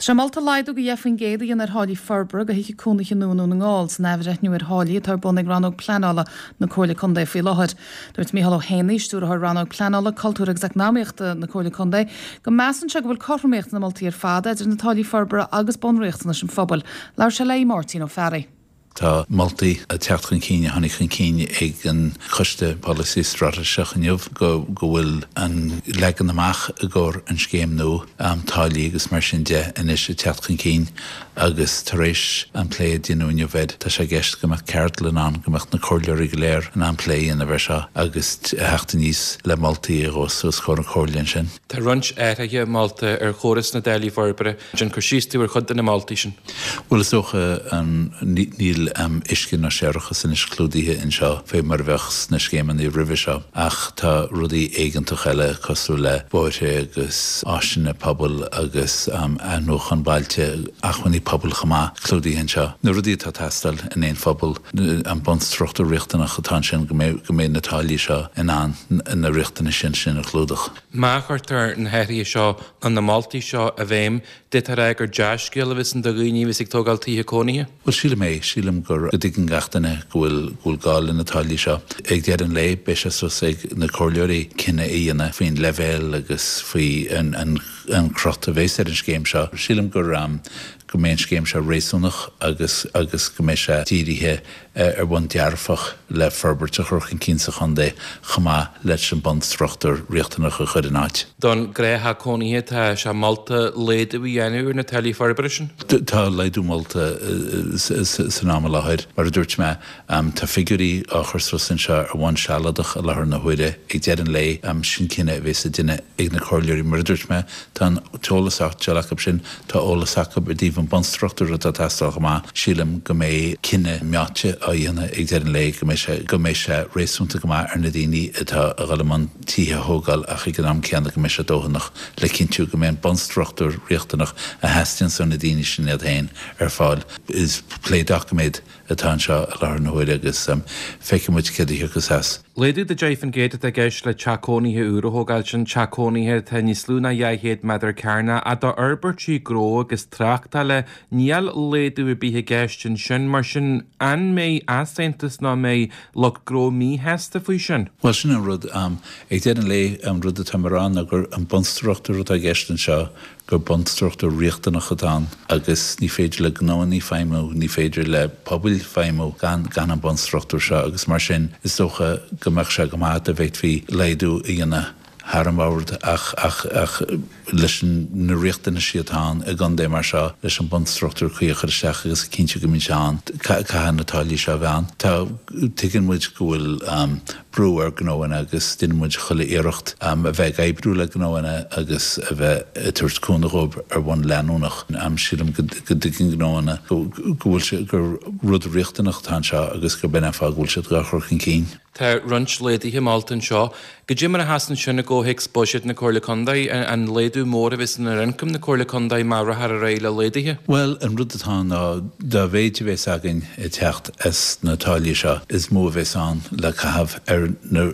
Tá sé molta laghdú de 10% a dhéanamh ar tháillí forbartha do thithe cónaithe nua i nDún na nGall san athbhreithniú ar tháillí atá ar bun ag Rannóg Pleanála na Comhairle Contae faoi láthair. Dúirt Micheál Ó hÉanaí, Stiúrthóir Rannóg Pleanála, Cultúir agus Eacnamaíochta na Comhairle Contae, go measann sé go bhfuil cothromaíocht sna moltaí ar fad idir na táillí forbartha agus bunriachtanais an phobail. Labhair sé le Máirtín Ó Fearraigh. Tá moltaí ag teacht chun cinn, a tháinig chun cinn ag an Choiste Polasaí Straitéiseach inniu, go bhfuil an leagan amach i gcomhair an scéim nua, táillí agus mar sin de, anois ag teacht chun cinn agus tar éis an plé a deineadh inniu air, tá sé i gceist go mbeadh ceardlann ann, go mbeadh na comhairleoirí go léir in ann plé a dhéanamh air seo agus theacht aníos le moltaí a ghabhfas os comhair an Chomhairle ansin. Tá roinnt athruithe molta ar chóras na dtáillí forbartha. Déan cur síos dúinn ar chuid de na moltaí sin. Bhuel, is dócha, níl uisce ná séarachas anois clúdaithe anseo fé mar a bheadh sna scéimeanna roimhe seo, ach tá rudaí éigeantach eile cosúil le bóithre agus áiseanna pobail agus athnuachan bailte, acmhainní pobail chomh maith, clúdaithe anseo. Na rudaí atá ag teastáil in aon phobal, an bunstruchtúr riachtanach atá ansin go mbeidh na táillí seo in ann na riachtanais sin a chlúdach. Má chuirtear na hathruithe seo nó na moltaí seo i bhfeidhm, d'fhéadfá a rá gur dea-scéal a bheas ann do dhaoine a bheas ag tógáil tithe cónaithe. Bhuel, sílim é. Sílim gur, go dtuigeann gach duine go bhfuil, go bhfuil gá le na táillí seo. Ag deireadh an lae, beidh sé suas ag na comhairleoirí cinneadh a dhéanamh faoin leibhéal agus faoi an, an, an crot a bheas ar an scéim seo. Sílim gur, go mbeidh an scéim seo réasúnach agus, agus go mbeidh sé dírithe ar bhonn dearfach le forbairt a chur chun cinn sa chontae chomh maith leis an bunstruchtúr riachtanach a chur in áit. Don ghnáth-theach cónaithe tá sé molta laghdú a dhéanamh ar na táillí forbartha sin. Tá laghdú molta san am i láthair. Mar a dúirt mé, tá figiúirí á chur suas anseo ar bhonn sealadach i láthair na huaire. Ag deireadh an lae, sin cinneadh a bheas le déanamh ag na comhairleoirí. Mar a dúirt mé, Tá an t-eolas á fháil acu sin, tá eolas acu i dtaobh an bunstruchtúr atá ag teastáil chomh maith. Sílim go mbeidh cinneadh meáite á dhéanamh ag deireadh an lae go mbeidh sé, go mbeidh sé réasúnta go maith ar na daoine atá a dhul i mbun tithe a thógáil ach ag an am céanna go mbeidh sé dóthanach le cinntiú go mbeidh an bunstruchtúr riachtanach a theastaíonns ó na daoine sin iad féin ar fáil. Is plé doiciméad atá anseo i láthair na huaire agus feicfidh muid céard a thiocfas as. Laghdú de 10% atá i gceist le teach cónaithe úr a thógáil, sin teach cónaithe atá níos lú ná 200 méadar cearnach, ach d'fhorbairtí gnó agus tráchtála, níl laghdú ar bith i gceist ansin. Mar sin, an mbeidh easaontas nó an mbeidh lucht gnó míshásta faoi sin? Bhuel, sin an rud. Ag deireadh an lae, an rud atá mé a rá ná gur an bunstruchtúr atá i gceist anseo, gur bunstruchtúr riachtanach atá ann agus ní féidir le gnóanna feidhmiú, ní féidir le pobail feidhmiú gan gan an bunstruchtúr seo agus mar sin is dócha go mbeadh sé go maith dá bhféadfaí laghdú a dhéanamh thar an bhord ach ach ach leis na riachtanaisí atá ann i gcontae mar seo leis an bunstruchtúr cuí a chur isteach agus a chinntiú go mbíonn sé ann, caithfidh na táillí seo a bheith ann. Tá, tuigeann muid go bhfuil brú ar gnóanna agus déanann muid chuile iarracht a bheith ag oibriú le gnóanna agus a bheith ag tabhairt cúnamh dhóibh ar bhonn leanúnach. Sílim go dtuigeann gnóanna go bhfuil sé, gur rud riachtanach atá anseo agus gurb in an fáth go bhfuil siad dhá chur chun cinn. Tá roinnt laghduithe molta anseo. Goidé mar a sheasann sin i gcomhthéacs buiséad na Comhairle Contae, an laghdú mór a bheas ar ioncam na Comhairle Contae má rachfar ar aghaidh le laghduithe? Bhuel, an rud atá ann ná dá mhéid a bhéas againn ag teacht as na táillí seo, is mó a bhéas ann le caitheamh ar na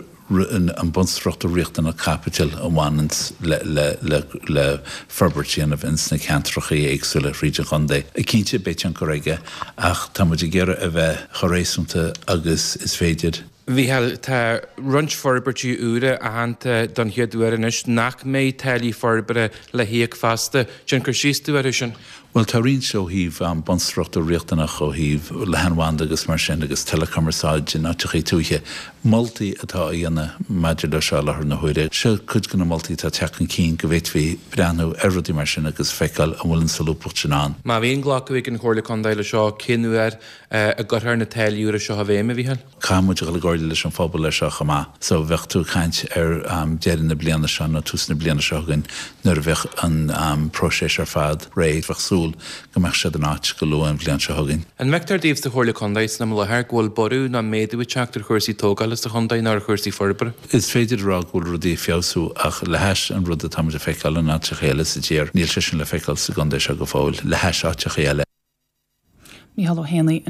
an bunstruchtúr riachtanach caipitil a bhaineanns le le le forbairt a dhéanamh ins na ceantrachaí éagsúla thríd an chontae. Cinnte, beidh tionchar aige ach tá muid ag iarraidh a bheith chomh réasúnta agus is féidir. Mhícheáil, tá roinnt forbairtí úra aitheanta don chéad uair anois nach mbeidh táillí forbartha le híoc feasta. Déan cur síos dúinn orthu sin. Bhuel, tá roinnt ó thaobh bunstruchtúr riachtanach, ó thaobh leathanbhanda agus mar sin agus teileachumarsáid in áiteachaí tuaithe. Moltaí atá á dhéanamh maidir leo seo i láthair na huaire. Seo cuid de na moltaí atá ag teacht chun cinn go bhféadfaí breathnú ar rudaí mar sin agus feiceáil an bhfuil an solúbthacht sin ann. Má bhíonn glacadh ag an Chomhairle Contae le seo, cén uair a gcuirfear na táillí úra seo i bhfeidhm, a Mhícheáil? Caithfidh muid a dhul i gcomhairle leis an phobal ar seo chomh maith. So bheadh tú ag caint ar deireadh na bliana seo nó tús na bliana seo chugainn nuair a bheadh an próiseas ar fad réidh. Bheadh súil go mbeadh siad in áit go luath an bhliain seo chugainn. An bhfeictear daoibh sa Chomhairle Contae san am i láthair go bhfuil borradh nó méadú ag teacht ar chúrsaí tógála sa chontae nó ar chúrsaí forbartha? Is féidir a rá go bhfuil rudaí ag feabhsú ach le hais an rud atá muid a feiceáil in áiteacha eile sa tír, níl sé sin le feiceáil sa gcontae seo go fóill, le hais áiteacha eile. Mícheál Ó hÉanaí.